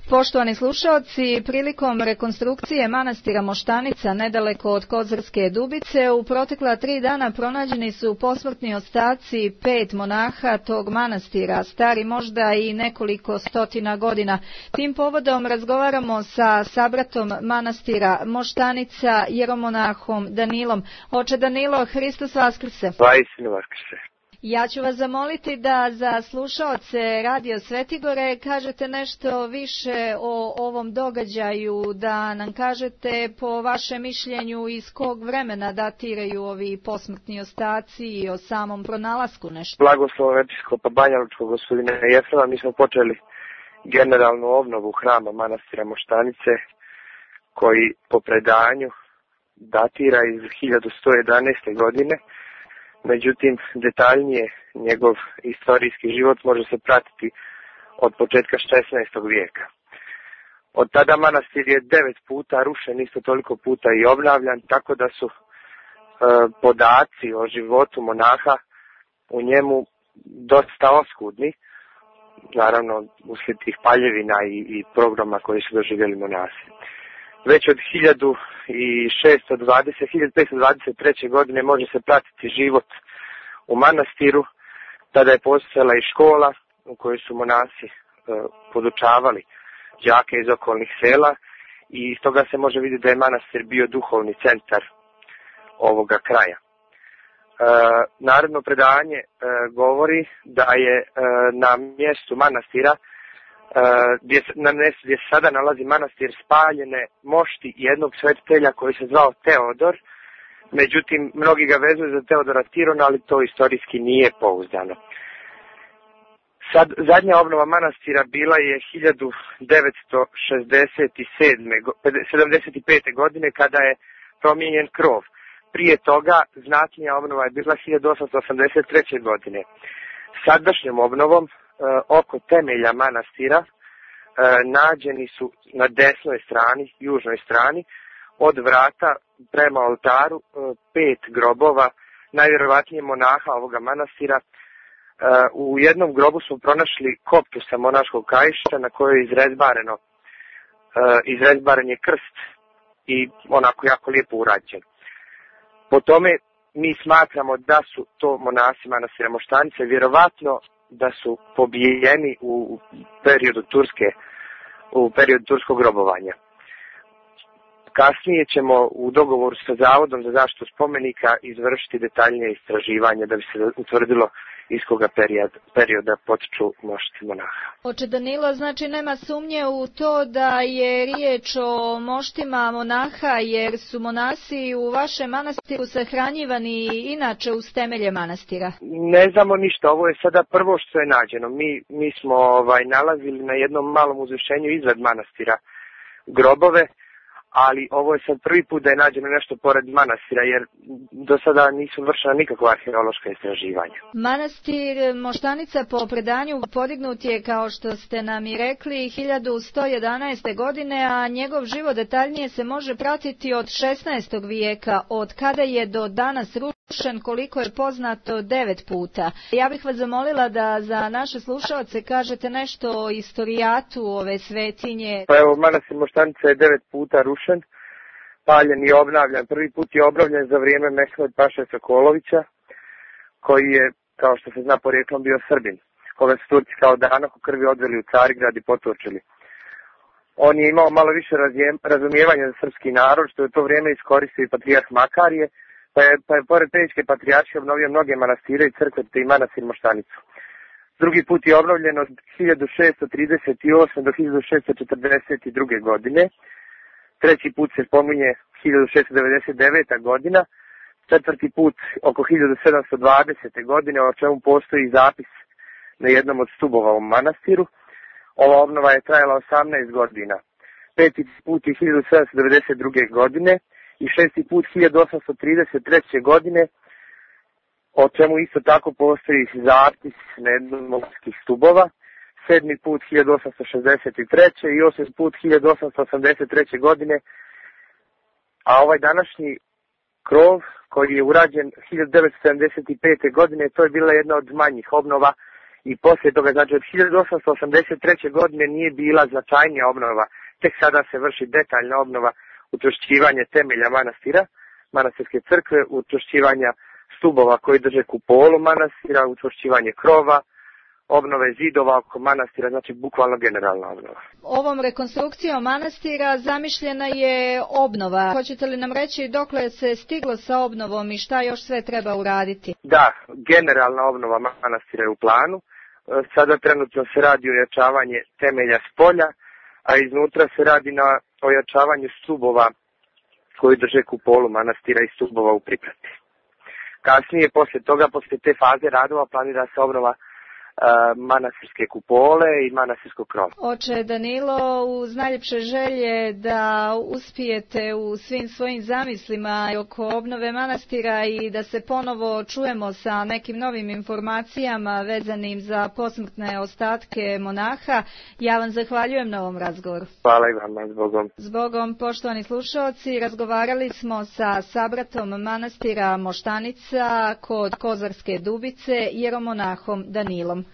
Poštovani slušaoci, prilikom rekonstrukcije manastira Moštanica nedaleko od Kozarske Dubice u protekla 3 dana pronađeni su posmrtni ostaci 5 monaha tog manastira, stari možda i nekoliko stotina godina. Tim povodom razgovaramo sa sabratom manastira Moštanica, jeromonahom Danilom. Oče Danilo, Hristos Vaskrse. Vaistinu Vaskrse. Ja ću vas zamoliti da za slušaoce Radio Svetigore kažete nešto više o ovom događaju, da nam kažete po vašem mišljenju iz kog vremena datiraju ovi posmrtni ostaci i o samom pronalasku nešto. Blagoslovom episkopa Banjalučkog gospodina Jefrema, mi smo počeli generalnu obnovu hrama manastira Moštanice, koji po predanju datira iz 1111. godine. Međutim, detaljnije njegov istorijski život može se pratiti od početka 16. vijeka. Od tada manastir je 9 puta rušen, isto toliko puta i obnavljan, tako da su podaci o životu monaha u njemu dosta oskudni, naravno uslijed tih paljevina i programa koji su doživjeli monasi. Već od 1523. godine može se pratiti život u manastiru. Tada je postojala i škola u kojoj su monasi podučavali đake iz okolnih sela i iz toga se može vidjeti da je manastir bio duhovni centar ovoga kraja. Narodno predanje govori da je na mjestu manastira gdje se sada nalazi manastir spaljene mošti jednog svetitelja koji se zvao Teodor. Međutim, mnogi ga vezuju za Teodora Tirona, ali to istorijski nije pouzdano. Zadnja obnova manastira bila je 1975. godine kada je promijenjen krov. Prije toga znatnija obnova je bila 1883. godine. Sadašnjom obnovom oko temelja manastira nađeni su na desnoj strani, južnoj strani, od vrata prema oltaru 5 grobova, najvjerovatnije monaha ovoga manastira. U jednom grobu smo pronašli koptu sa monaškog kaiša na kojoj je izrezbaren je krst i onako jako lijepo urađen. Po tome mi smatramo da su to monasi manastira Moštanice, vjerovatno da su pobijeni u periodu turskog grobovanja. Kasnije ćemo u dogovoru sa Zavodom za zaštitu spomenika izvršiti detaljnije istraživanje da bi se utvrdilo iz koga perioda potiču mošti monaha. Oče Danilo, znači nema sumnje u to da je riječ o moštima monaha, jer su monasi u vašem manastiru sahranjivani inače uz temelje manastira? Ne znamo ništa, ovo je sada prvo što je nađeno. Mi smo nalazili na jednom malom uzvišenju izved manastira grobove, ali ovo je sad prvi put da je nađeno nešto pored manastira, jer do sada nisu vršena nikakva arheološka istraživanja. Manastir Moštanica po predanju podignut je, kao što ste nam i rekli, 1111. godine, a njegov život detaljnije se može pratiti od 16. vijeka, od kada je do danas rušen, koliko je poznato, 9 puta. Ja bih vas zamolila da za naše slušaoce kažete nešto o istorijatu ove svetinje. Pa evo, manastir Moštanica je 9 puta rušen, paljen i obnavljan. Prvi put je obnovljen za vrijeme Mehmed Paše Sokolovića, koji je, kao što se zna porijeklom, bio Srbin, koga su Turci kao danak u krvi odveli u Carigrad i potočili. On je imao malo više razumijevanja za srpski narod, što je u to vrijeme iskoristio i patrijarh Makarije, pa je pored Pećke patrijaršije obnovio mnoge manastire i crkve, te i manastir Moštanicu. Drugi put je obnovljen od 1638. do 1642. godine. Treći put se spominje 1699. godina. Četvrti put oko 1720. godine, o čemu postoji zapis na jednom od stubova u manastiru. Ova obnova je trajala 18 godina. Peti put je 1792. godine i šesti put 1833. godine, o čemu isto tako postoji zapis na jednom od stubova. Sedmi put 1863. i osmi put 1883. godine, a ovaj današnji krov koji je urađen 1975. godine, to je bila jedna od manjih obnova i poslije toga, znači od 1883. godine nije bila značajnija obnova, tek sada se vrši detaljna obnova, učvršćivanje temelja manastira, manastirske crkve, učvršćivanja stubova koji drže kupolu manastira, učvršćivanje krova, obnove zidova oko manastira, znači bukvalno generalna obnova. Ovom rekonstrukcijom manastira zamišljena je obnova. Hoćete li nam reći dokle se stiglo sa obnovom i šta još sve treba uraditi? Da, generalna obnova manastira je u planu. Sada trenutno se radi ojačavanje temelja s polja, a iznutra se radi na ojačavanju stubova koji drže kupolu manastira i stubova u priprati. Kasnije, poslije te faze radova, planira se obnova manastirske kupole i manastirskog krova. Oče Danilo, uz najljepše želje da uspijete u svim svojim zamislima oko obnove manastira i da se ponovo čujemo sa nekim novim informacijama vezanim za posmrtne ostatke monaha. Ja vam zahvaljujem na ovom razgovoru. Hvala i vama, zbogom. Zbogom, poštovani slušaoci, razgovarali smo sa sabratom manastira Moštanica kod Kozarske Dubice, jeromonahom Danilom.